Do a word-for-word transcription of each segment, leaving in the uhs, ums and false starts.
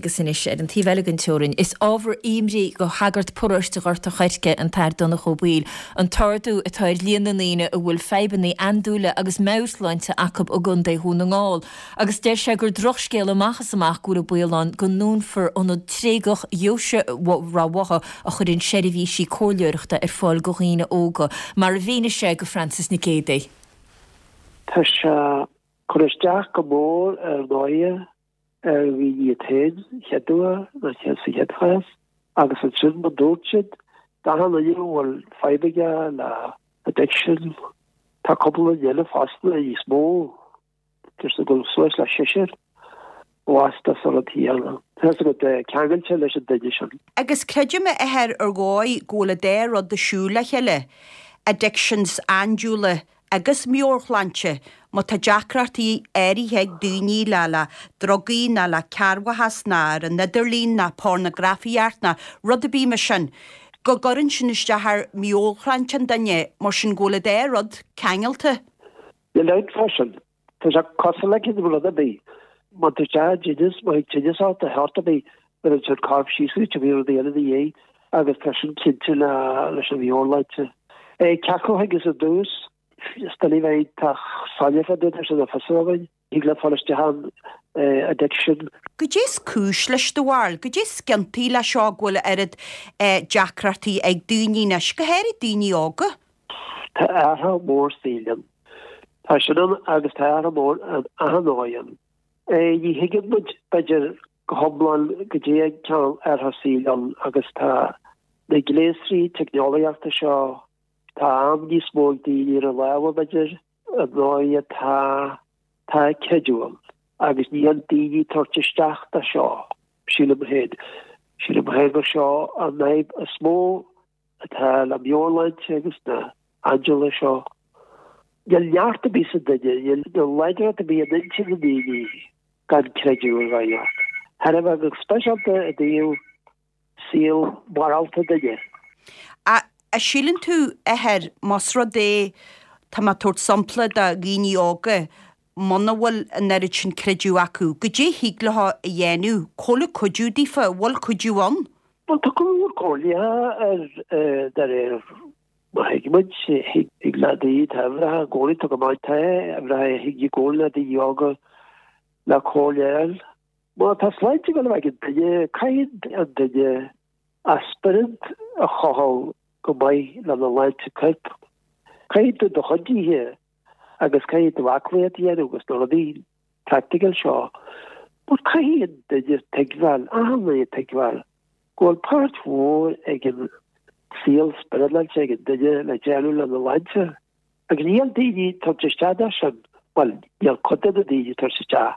Agus anois ar an taobh eile den teorainn, is ábhar imní do shagart paróiste Ghort an Choirce, an tAthair Donncha Ó Baoill, an t-ardú atá ar líon na ndaoine a bhfuil fadhbanna andúile agus meabhairshláinte acu i gContae Dhún na nGall. Agus deir sé gur drochscéal amach is amach go bhfuil an baol ann go ndúnfar ionad tréigeach Dheoise Ráth Bhotha a chuireann seirbhísí comhairleoireachta ar fáil do dhaoine óga, mar a mhínigh sé do Frances Nic Géadaigh. Tá sé cur isteach go mór ar ndóighe ar dhaoine iad féin chéad uair nó sa chéad chás agus ansin mar dúirt siad d'achan duine a bhfuil fadhb aige le addiction tá cúpla duine eile fosta níos mó deir go suas le seisear bhásta sa rud céanna. Tá go ceangailte leis an duine sin. Agus creidim a Athair ar dhóigh go bhfuil an dá rud ag siúl le chéile, addictions andúile agus meabhairshláinte, má tá deacrachtaí áirithe ag daoine le le drugaí ná le cearrbhachas ná ar an idirlíon ná pornagrafaíocht ná rud ar bith mar sin, go gcuireann sin isteach ar mheabhairshláinte an duine, mar sin go bhfuil an dá rud ceangailte. Níl aon freisin. Tá sé cosúil le cinn rud ar bith. Má tá sé tinneas, má thig tinneas ort a theacht ar bith, bíonn an corp síos go bhí rudaí eile ina dhiaidh agus tá sin cinnte le leis an mheabhairshláinte. É ceapadh agus i dtús is bheith tá soiléir fá dtaobh sin a fios againn. Thig le fáil isteach an addiction. Goidé is cúis leis do bharúil, goidé is ciontaí le seo go bhfuil oiread deacrachtaí ag daoine anois, go háirid daoine óga. Tá athrú mór saoil ann. Tá sin ann agus tá athrú mór an achan dóigh ann. Ní thuigeann muid b'fhéidir go hiomlán go dtí an ceann athrú saoil ann agus tá na gléasraí teicneolaíochta seo tá am níos mó ag daoine ar a lámha b'fhéidir an dóigh atá tá creideamh ann agus níl daoine tabhairt isteach do seo sílim féin. Sílim féin gur seo an fhadhb is mó atá le meabhairshláinte agus na andúile seo. Níl neart ar bith sa duine, níl láidreacht ar bith in intinn na ndaoine gan creideamh ar bhealach. Thar a bheith go speisialta i dtaobh saol morálta duine. A a síleann tú Athair más rud é tá mé ag tabhairt sampla de dhaoine óga muna bhfuil an oiread sin creideamh acu, goidé thig leo a dhéanamh, cá bhfuil cuidiú daofa, bhfuil cuidiú ann? Well tá go leor comhairle ar de réir mar thuig muid thig le daoine tá uimhreacha i gcónaí tá go maith tá uimhreacha thig i gcónaí le daoine óga le comhairle a fháil. Má tá sláinte go ag an duine caithfidh an duine a spiorad a chothú go maith lena shláinte coirp. Caithfidh tú do chuid ithe agus caithfidh tú aclaíocht a dhéanamh agus na rudaí practical seo. But caithfidh an duine tuigbheáil, achan duine tuigbheáil go bhfuil páirt mhór ag an saol spioradálta ag an duine le déanamh lena shláinte. Agus níl daoine tabhairt isteach dó sin, well níl cuid de na daoine tabhairt isteach.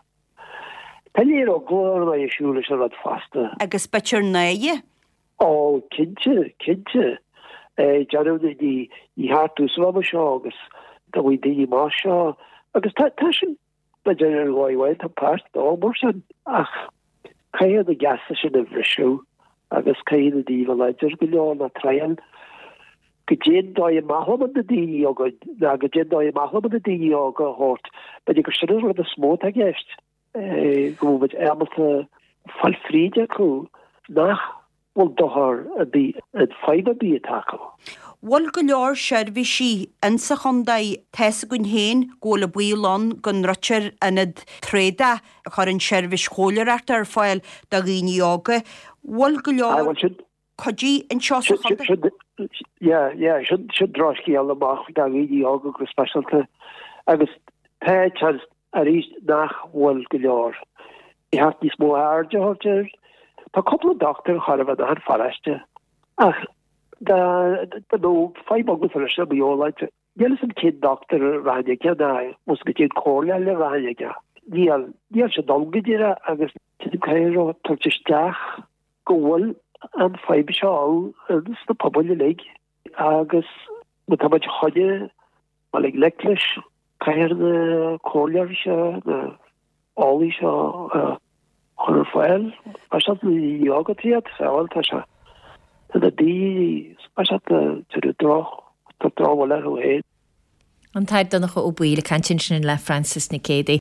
Tá léir eagla ar an siúl leis an rud fosta. Agus b'fhéidir náire. Ó cinnte, cinnte. Déanamh ní ní cheart úsáid seo agus go bhfuil daoine mar seo agus tá tá sin b'fhéidir ar dhóigh amháin tá páirt dó mar sin ach caithfidh na geasa sin a bhriseadh agus caithfidh na daoine láidir go leor na triail go dtéann dóigh amach na daoine óga ná go dtéann dóigh amach na daoine óga a thabhairt b'fhéidir gur sin an rud is mó atá i gceist go bhfuil muid ábalta fáil fríd acu nach bhfuil dochar ar bith an fadhb ar bith atá acu. Bhfuil go leor seirbhísí insa chontae tá's againn féin go bhfuil an baol ann go ndruidtear ionad tréadach a chuireann seirbhís chomhairleoireachta ar fáil do dhaoine óga. Bhfuil go leor cuidiú anseo sa chontae? Yeah, yeah, sin sin drochscéal amach do dhaoine óga go speisialta agus tá chance arís nach bhfuil go leor. Ní cheart níos mó aird a thabhairt air. Tá cúpla dochtúir chor a bheith an pharóiste ach dá nó fadhb agat leis an meabhairshláinte. Níl fhios a'm cén dochtúir a rachainn aige ná ós go dtéann comhairle eile a rachainn aige. Níl níl sé dul go díreach agus caithfidh tabhairt isteach go bhfuil an fadhb seo ann sna pobail uilig agus má tá muid chun dul i ngleic leis caithfear na comhairleoirí seo na eolaí seo a chur ar fáil. Speisialta na daoine óga iad, bhuel tá sé tá na daoine speisialta droch tá drochbhail orthu féin. An tAthair Donncha Ó Baoill ag caint ansin le Frances Nic Géadaigh.